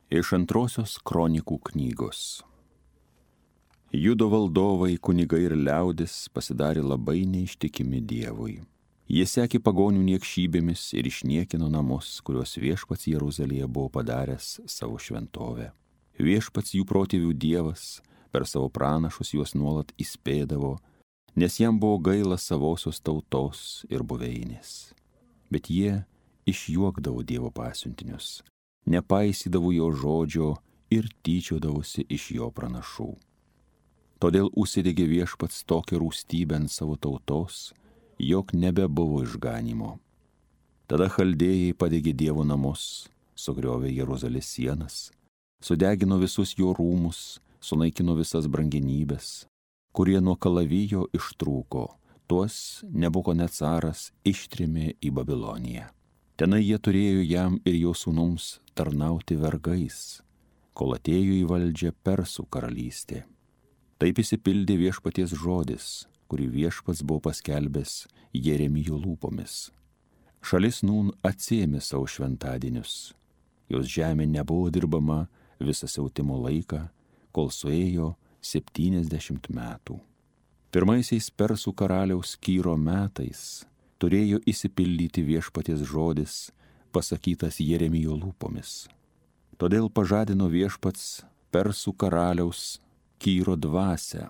Iš antrosios kronikų knygos. Judo valdovai, kunigai ir liaudis pasidarė labai neištikimi Dievui. Jie sekė pagonių niekšybėmis ir išniekino namus, kuriuos viešpats Jeruzalėje buvo padaręs savo šventovę. Viešpats jų protėvių Dievas per savo pranašus juos nuolat įspėdavo, nes jam buvo gaila savosios tautos ir buveinės. Bet jie išjuokdavo Dievo pasiuntinius, nepaisydavo jo žodžio ir tyčiodavosi iš jo pranašų. Todėl užsidegė viešpats tokią rūstybę ant savo tautos, jog nebebuvo išganymo. Tada chaldėjai padegė Dievo namus, sugriovė Jeruzalės sienas, sudegino visus jo rūmus, sunaikino visas brangenybes, kurie nuo kalavijo ištrūko, tuos Nebuchonecaras ištrėmė į Babiloniją. Tenai jie turėjo jam ir jo sūnums tarnauti vergais, kol atėjo į valdžią Persų karalystė. Taip išsipildė viešpaties žodis, kurį viešpats buvo paskelbęs Jeremijo lūpomis. Šalis nūn atsiėmė savo šventadienius. Jos žemė nebuvo dirbama visą siautimo laiką, kol suėjo 70 metų. Pirmaisiais Persų karaliaus Kyro metais turėjo išsipildyti viešpaties žodis, pasakytas Jeremijo lūpomis. Todėl pažadino viešpats Persų karaliaus Kyro dvasią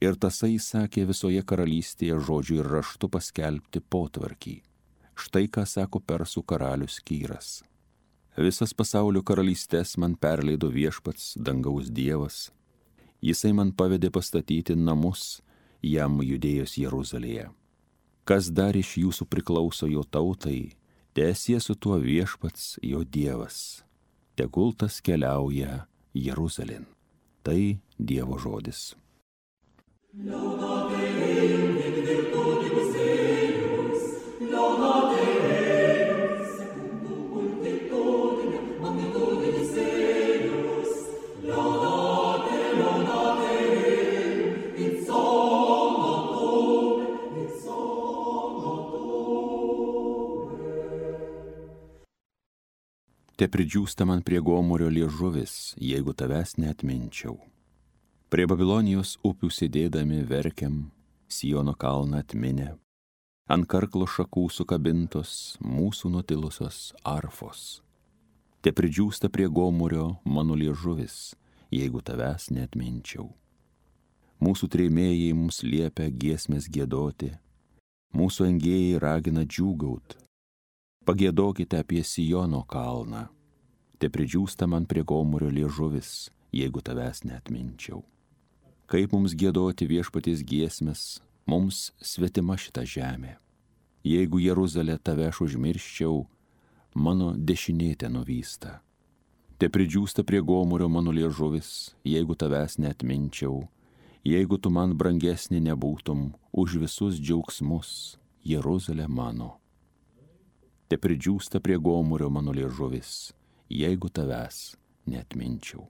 ir tasai sakė visoje karalystėje žodžiu ir raštu paskelbti potvarkį. Štai ką sako Persų karalius Kyras. Visas pasaulio karalystės man perleido viešpats, dangaus Dievas. Jisai man pavedė pastatyti namus jam Judėjos Jeruzalėje. Kas dar iš jūsų priklauso jo tautai, teesie su tuo viešpats jo Dievas. Tegul tas keliauja Jeruzalėn. Tai Dievo žodis. Te pridžiūsta man prie gomurio liežuvis, jeigu tavęs neatminčiau. Prie Babilonijos upių sėdėdami verkiam, Siono kalną atminę, ant karklo šakų sukabintos mūsų nutilusios arfos. Te pridžiūsta prie gomurio mano liežuvis, jeigu tavęs neatminčiau. Mūsų trėmėjai mums liepia giesmės giedoti, mūsų engėjai ragina džiūgaut. Pagiedokite apie Siono kalną. Te pridžiūsta man prie gomurio liežuvis, jeigu tavęs neatminčiau. Kaip mums giedoti viešpaties giesmes, mums svetima šita žemė. Jeigu Jeruzalę tave aš užmirščiau, mano dešinė te nuvysta. Te pridžiūsta prie gomurio mano liežuvis, jeigu tavęs neatminčiau, jeigu tu man brangesnė nebūtum už visus džiaugsmus, Jeruzalė mano. Te pridžiūsta prie gomurio mano liežuvis, jeigu tavęs neatminčiau.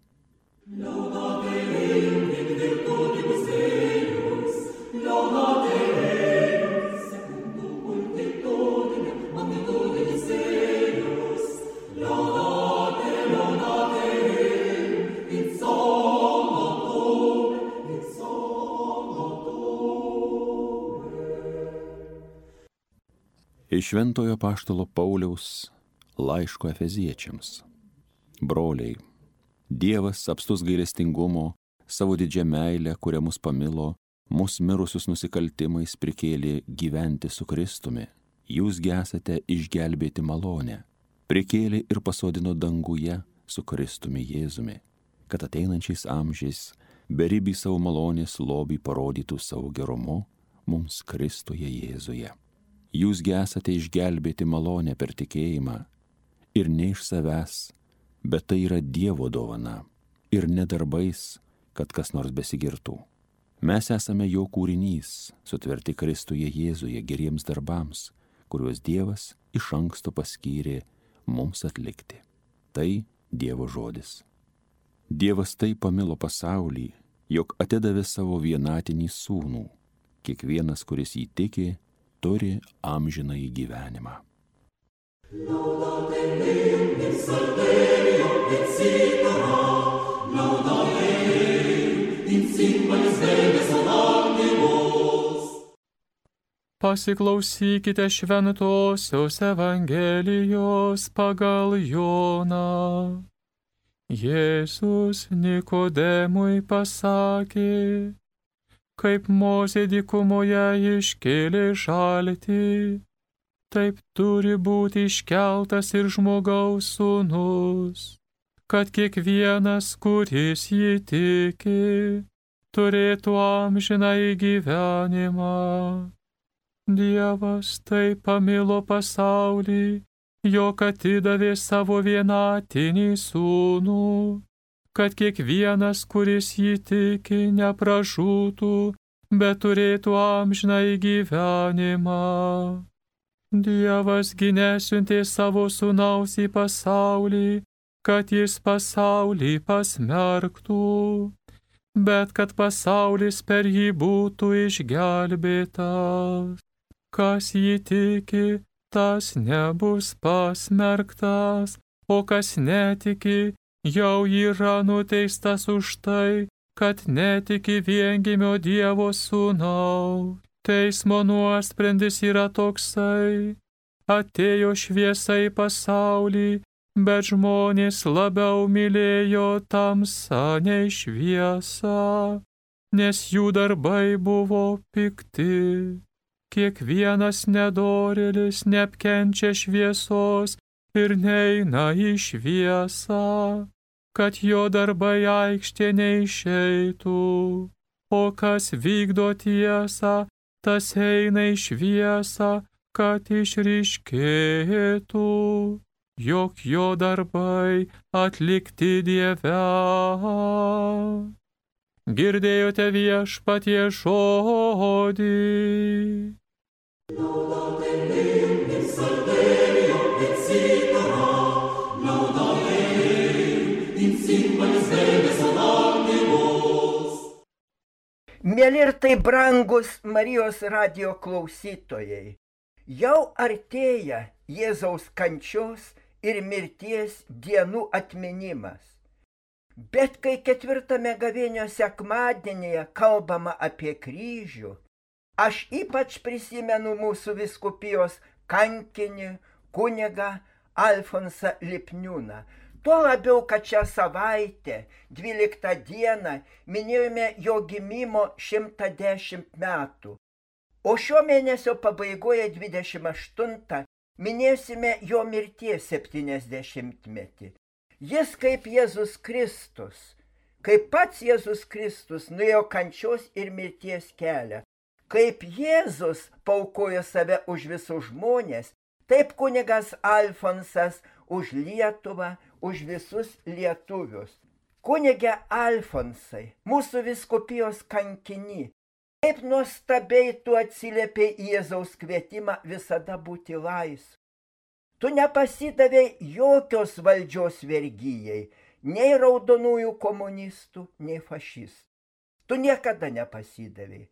Iš šventojo apaštalo Pauliaus laiško Efeziečiams. Broliai, Dievas apstus gailestingumo, savo didžią meilę, kurią mus pamilo, mus mirusius nusikaltimais prikėlė gyventi su Kristumi. Jūs esate išgelbėti malonę, prikėlė ir pasodino danguje su Kristumi Jėzumi, kad ateinančiais amžiais beribį savo malonės lobį parodytų savo gerumu mums Kristuje Jėzuje. Jūs esate išgelbėti malonę per tikėjimą ir ne iš savęs, bet tai yra Dievo dovana ir ne darbais, kad kas nors besigirtų. Mes esame jo kūrinys, sutverti Kristuje Jėzuje geriems darbams, kuriuos Dievas iš anksto paskyrė mums atlikti. Tai Dievo žodis. Dievas taip pamilo pasaulį, jog atidavė savo vienatinį sūnų. Kiekvienas, kuris jį tiki, turi amžinąjį gyvenimą. Laudate Deum in salverio et Pasiklausykite šventosios Evangelijos pagal Joną. Jėzus Nikodemui pasakė, kaip Mozė dykumoje iškėlė žaltį, taip turi būti iškeltas ir žmogaus sūnus, kad kiekvienas, kuris jį tiki, turėtų amžinąjį gyvenimą. Dievas taip pamilo pasaulį, jog atidavė savo vienatinį sūnų, kad kiekvienas, kuris jį tiki, nepražūtų, bet turėtų amžinąjį gyvenimą. Dievas gi nesiuntė savo sūnaus į pasaulį, kad jis pasaulį pasmerktų, bet kad pasaulis per jį būtų išgelbėtas. Kas jį tiki, tas nebus pasmerktas, o kas netiki, jau yra nuteistas už tai, kad netiki viengimio Dievo sūnaus. Teismo nuosprendis yra toksai: atėjo šviesa į pasaulį, bet žmonės labiau mylėjo tamsą nei šviesą, nes jų darbai buvo pikti. Kiekvienas nedorėlis neapkenčia šviesos ir neina į šviesą, kad jo darbai aikštė neišeitų. O kas vykdo tiesą, tas eina į šviesą, kad išryškėtų, jog jo darbai atlikti Dieve. Girdėjote Viešpatie žodį. Mėly ir tai brangus Marijos radijo klausytojai, jau artėja Jėzaus kančios ir mirties dienų atminimas. Bet kai 4 gavėnios sekmadienyje kalbama apie kryžių, aš ypač prisimenu mūsų vyskupijos kankinį kunigą Alfonsą Lipniūną. Tuo labiau, kad šią savaitę, 12 dieną, minėjome jo gimimo 110 metų. O šio mėnesio pabaigoje 28 minėsime jo mirties 70-metį. Jis kaip Jėzus Kristus, kaip pats Jėzus Kristus nuėjo kančios ir mirties kelią. Kaip Jėzus paaukojo save už visus žmonės, taip kunigas Alfonsas už Lietuvą, už visus lietuvius. Kunige Alfonsai, mūsų vyskupijos kankiny, kaip nuostabiai tu atsiliepiai į Jėzaus kvietimą visada būti laisvu. Tu nepasidavei jokios valdžios vergyjai, nei raudonųjų komunistų, nei fašistų. Tu niekada nepasidavei.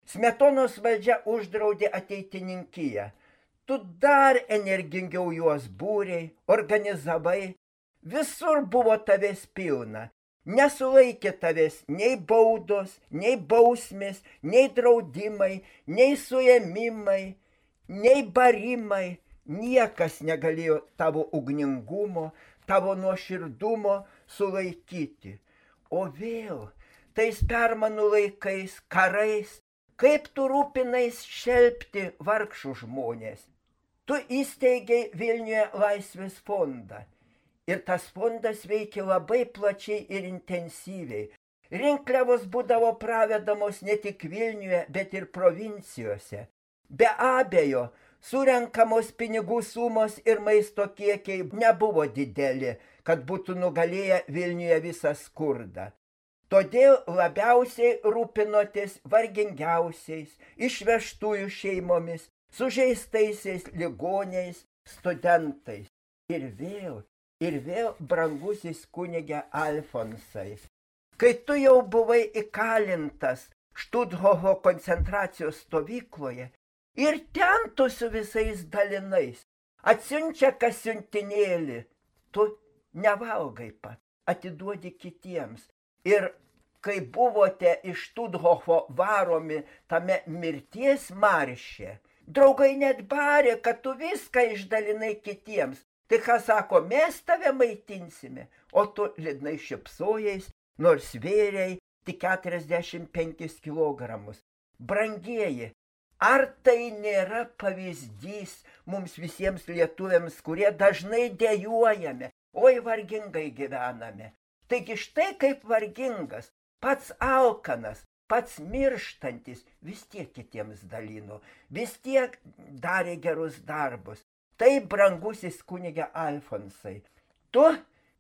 Smetonos valdžia uždraudė ateitininkiją. Tu dar energingiau juos būrei, organizavai. Visur buvo tavęs pilna. Nesulaikė tavęs nei baudos, nei bausmės, nei draudimai, nei suėmimai, nei barimai. Niekas negalėjo tavo ugningumo, tavo nuoširdumo sulaikyti. O vėl, tais permanų laikais, karais, kaip tu rūpinais šelpti vargšų žmonės. Tu įsteigei Vilniuje Laisvės fondą. Ir tas fondas veikia labai plačiai ir intensyviai. Rinkliavos būdavo pravedamos ne tik Vilniuje, bet ir provincijose. Be abejo, surenkamos pinigų sumos ir maisto kiekiai nebuvo dideli, kad būtų nugalėję Vilniuje visą skurdą. Todėl labiausiai rūpinotės vargingiausiais, išvežtųjų šeimomis, sužeistaisiais ligoniais, studentais. Ir vėl, brangusis kunige Alfonsai, kai tu jau buvai įkalintas Štuthofo koncentracijos stovykloje, ir ten tu su visais dalinais, atsiunčia kas siuntinėlį, tu nevalgai pat, atiduodi kitiems. Ir kai buvote iš Štuthofo varomi tame mirties marše, Draugai net barė, kad tu viską išdalinai kitiems. Tai ką sako, mes tave maitinsime, o tu liūdnai šypsojais, nors svėrei tik 45 kilogramus. Brangieji, ar tai nėra pavyzdys mums visiems lietuviams, kurie dažnai dejuojame, oi vargingai gyvename. Taigi štai kaip vargingas, pats alkanas, pats mirštantis, vis tiek kitiems dalino, vis tiek darė gerus darbus. Tai brangusis kunige Alfonsai, tu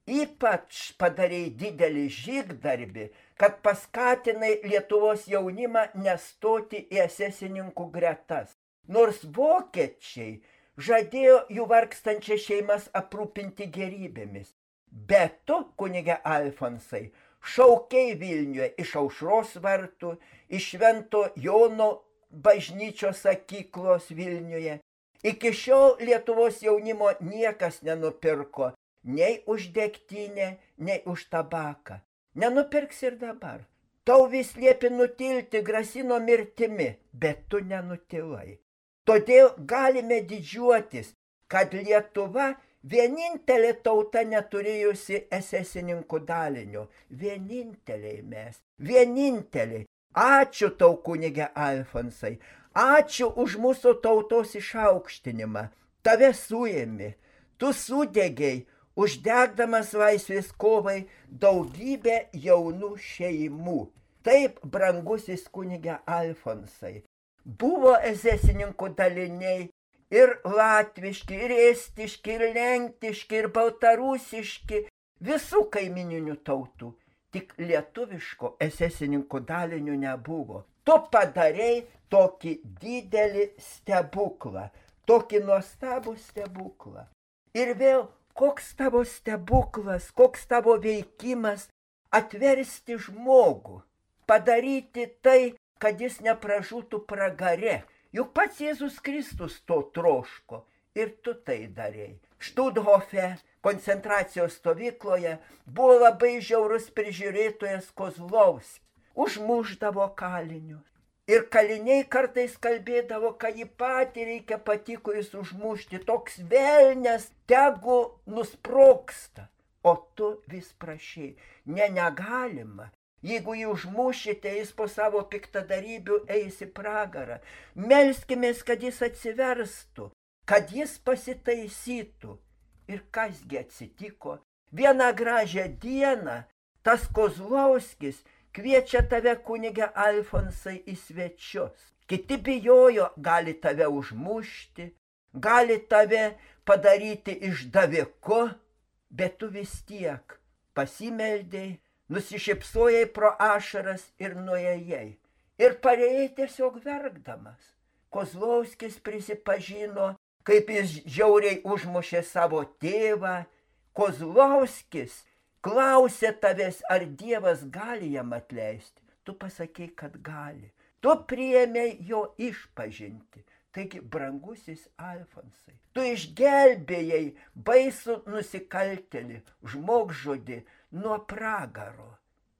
ypač padarei didelį žygdarbį, kad paskatinai Lietuvos jaunimą nestoti į esesininkų gretas. Nors vokiečiai žadėjo jų vargstančias šeimas aprūpinti gerybėmis. Bet tu, kunige Alfonsai, šaukei Vilniuje iš Aušros vartų, iš Švento Jono bažnyčios sakyklos Vilniuje. Iki šiol Lietuvos jaunimo niekas nenupirko nei už degtinę, nei už tabaką. Nenupirks ir dabar. Tau vis liepi nutilti, grasino mirtimi, bet tu nenutilai. Todėl galime didžiuotis, kad Lietuva vienintelė tauta neturėjusi esesininkų dalinio. Vieninteliai mes. Vieninteliai. Ačiū tau, kunige Alfonsai. Ačiū už mūsų tautos išaukštinimą. Tave suėmė. Tu sudegiai, uždegdamas laisvės kovai daugybę jaunų šeimų. Taip, brangusis kunige Alfonsai, buvo esesininkų daliniai ir latviški, ir estiški, ir lenktiški, ir baltarusiški, visų kaimininių tautų. Tik lietuviško esesininkų dalinio nebuvo. Tu padarei tokį didelį stebuklą, tokį nuostabų stebuklą. Ir vėl, koks tavo stebuklas, koks tavo veikimas atversti žmogų, padaryti tai, kad jis nepražūtų pragare. Juk pats Jėzus Kristus to troško ir tu tai darei. Štuthofe, koncentracijos stovykloje, buvo labai žiaurus prižiūrėtojas Kozlovskis. Užmušdavo kalinius. Ir kaliniai kartais kalbėdavo, kad jį patį reikia patikojus užmušti. Toks velnias tegu nusprogsta. O tu vis prašai. Negalima. Jeigu jį užmušite, jis po savo piktadarybių eis į pragarą. Melskimės, kad jis atsiverstų, kad jis pasitaisytų. Ir kasgi atsitiko? Vieną gražią dieną tas Kozlovskis kviečia tave, kunige Alfonsai, į svečius. Kiti bijojo, gali tave užmušti, gali tave padaryti išdaviku, bet tu vis tiek pasimeldei, nusišypsojai pro ašaras ir nuėjai. Ir parėjai tiesiog verkdamas. Kozlovskis prisipažino, kaip jis žiauriai užmušė savo tėvą. Kozlovskis klausė tavęs, ar Dievas gali jam atleisti. Tu pasakei, kad gali. Tu priėmei jo išpažinti. Taigi, brangusis Alfonsai, tu išgelbėjai baisų nusikaltėlį, žmogžudį nuo pragaro.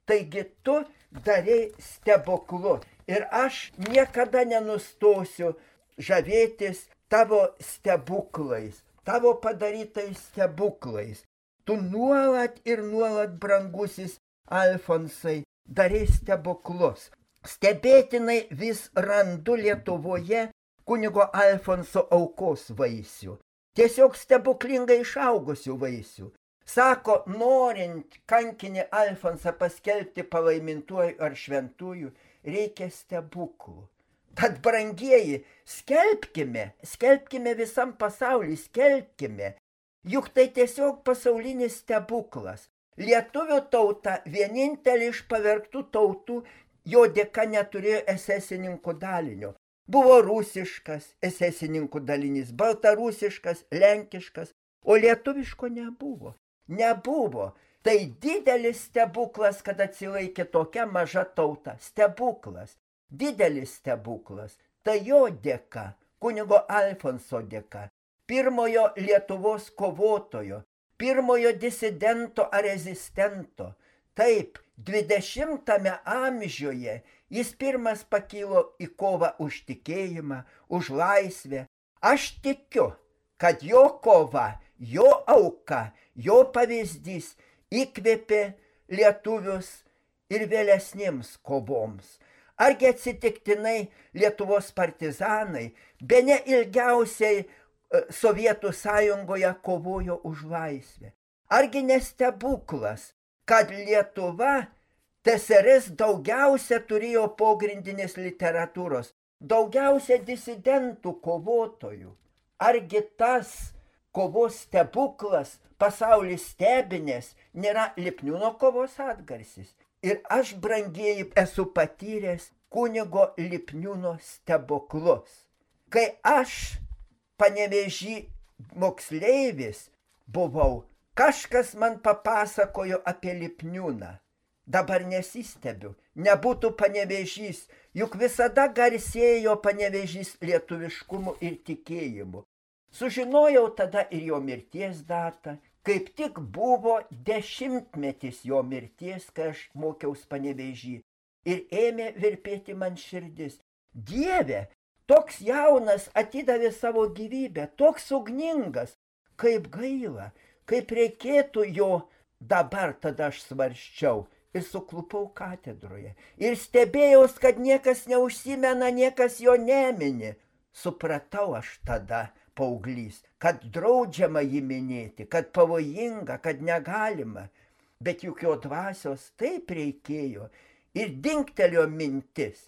Taigi, tu darei stebuklu. Ir aš niekada nenustosiu žavėtis tavo stebuklais, tavo padarytais stebuklais. Tu nuolat ir nuolat, brangusis Alfonsai, darei stebuklus. Stebėtinai vis randu Lietuvoje kunigo Alfonso aukos vaisių. Tiesiog stebuklingai išaugusių vaisių. Sako, norint kankinį Alfonsą paskelbti palaimintuoju ar šventųjų, reikia stebuklų. Tad, brangieji, skelbkime visam pasauliu, skelbkime. Juk tai tiesiog pasaulinis stebuklas. Lietuvių tauta, vienintelė iš pavergtų tautų, jo dėka neturėjo esesininkų dalinio. Buvo rusiškas esesininkų dalinys, baltarusiškas, lenkiškas, o lietuviško nebuvo. Nebuvo. Tai didelis stebuklas, kad atsilaikė tokia maža tauta. Stebuklas. Didelis stebuklas. Tai jo dėka, kunigo Alfonso dėka. Pirmojo Lietuvos kovotojo, pirmojo disidento ar rezistento. Taip, 20 amžiuje Jis pirmas pakilo į kovą už tikėjimą, už laisvę. Aš tikiu, kad jo kova, jo auka, jo pavyzdys įkvėpė lietuvius ir vėlesniems kovoms. Argi atsitiktinai Lietuvos partizanai bene ilgiausiai Sovietų sąjungoje kovojo už laisvę? Argi nestebuklas, kad Lietuva TSRS daugiausia turėjo pogrindinės literatūros, daugiausia disidentų kovotojų? Argi tas kovos stebuklas, pasaulis stebinės, nėra Lipniūno kovos atgarsis? Ir aš, brangieji, esu patyręs kunigo Lipniūno stebuklus. Kai aš Panevėžy moksleivis buvau, kažkas man papasakojo apie Lipniūną. Dabar nesistebiu, nebūtų Panevėžys, juk visada garsėjo Panevėžys lietuviškumu ir tikėjimu. Sužinojau tada ir jo mirties datą. Kaip tik buvo 10-metis jo mirties, kai aš mokiaus Panevėžy. Ir ėmė virpėti man širdis. Dieve, toks jaunas atidavė savo gyvybę, toks ugningas. Kaip gaila, kaip reikėtų jo. Dabar tada aš svarsčiau ir suklupau katedroje. Ir stebėjaus, kad niekas neužsimena, niekas jo nemini. Supratau aš tada, paauglys, kad draudžiama jį minėti, kad pavojinga, kad negalima. Bet juk jo dvasios taip reikėjo. Ir dingtelėjo mintis.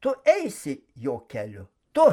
Tu eisi jo keliu. Tu.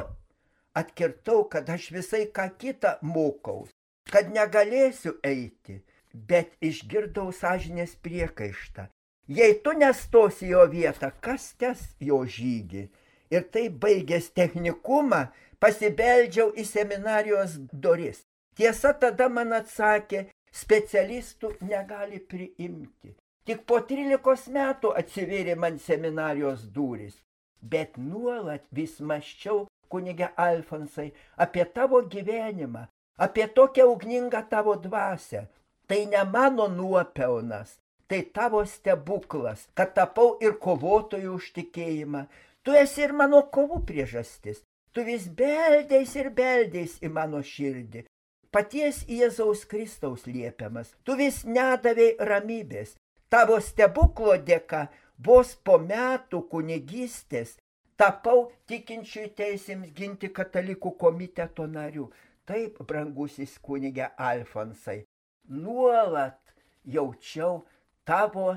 Atkirtau, kad aš visai ką kitą mokaus, kad negalėsiu eiti. Bet išgirdau sąžinės priekaištą. Jei tu nestosi jo vietą, kas tes jo žygį? Ir tai baigęs technikumą, pasibeldžiau į seminarijos duris. Tiesa, tada man atsakė, specialistų negali priimti. Tik po 13 metų atsivėrė man seminarijos durys. Bet nuolat vis mąsčiau, kunige Alfonsai, apie tavo gyvenimą, apie tokią ugningą tavo dvasią. Tai ne mano nuopelnas, tai tavo stebuklas, kad tapau ir kovotojų už tikėjimą. Tu esi ir mano kovų priežastis. Tu vis beldės ir beldės į mano širdį. Paties Jėzaus Kristaus liepiamas. Tu vis nedavei ramybės. Tavo stebuklo dėka vos po metų kunigystės tapau tikinčiųjų teisėms ginti katalikų komiteto nariu. Taip, brangusis kunige Alfonsai, nuolat jaučiau tavo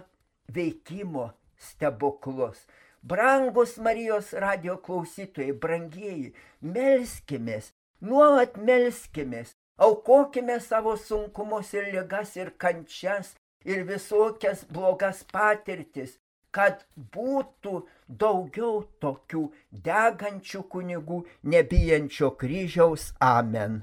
veikimo stebuklus. Brangus Marijos radijo klausytojai, brangieji, melskimės, nuolat melskimės, aukokime savo sunkumus ir ligas ir kančias ir visokias blogas patirtis, kad būtų daugiau tokių degančių kunigų, nebijančio kryžiaus. Amen.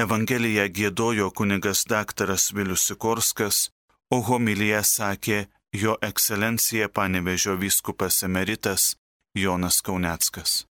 Evangeliją giedojo kunigas daktaras Vilius Sikorskas, o homiliją sakė jo ekscelencija Panevėžio vyskupas emeritas Jonas Kauneckas.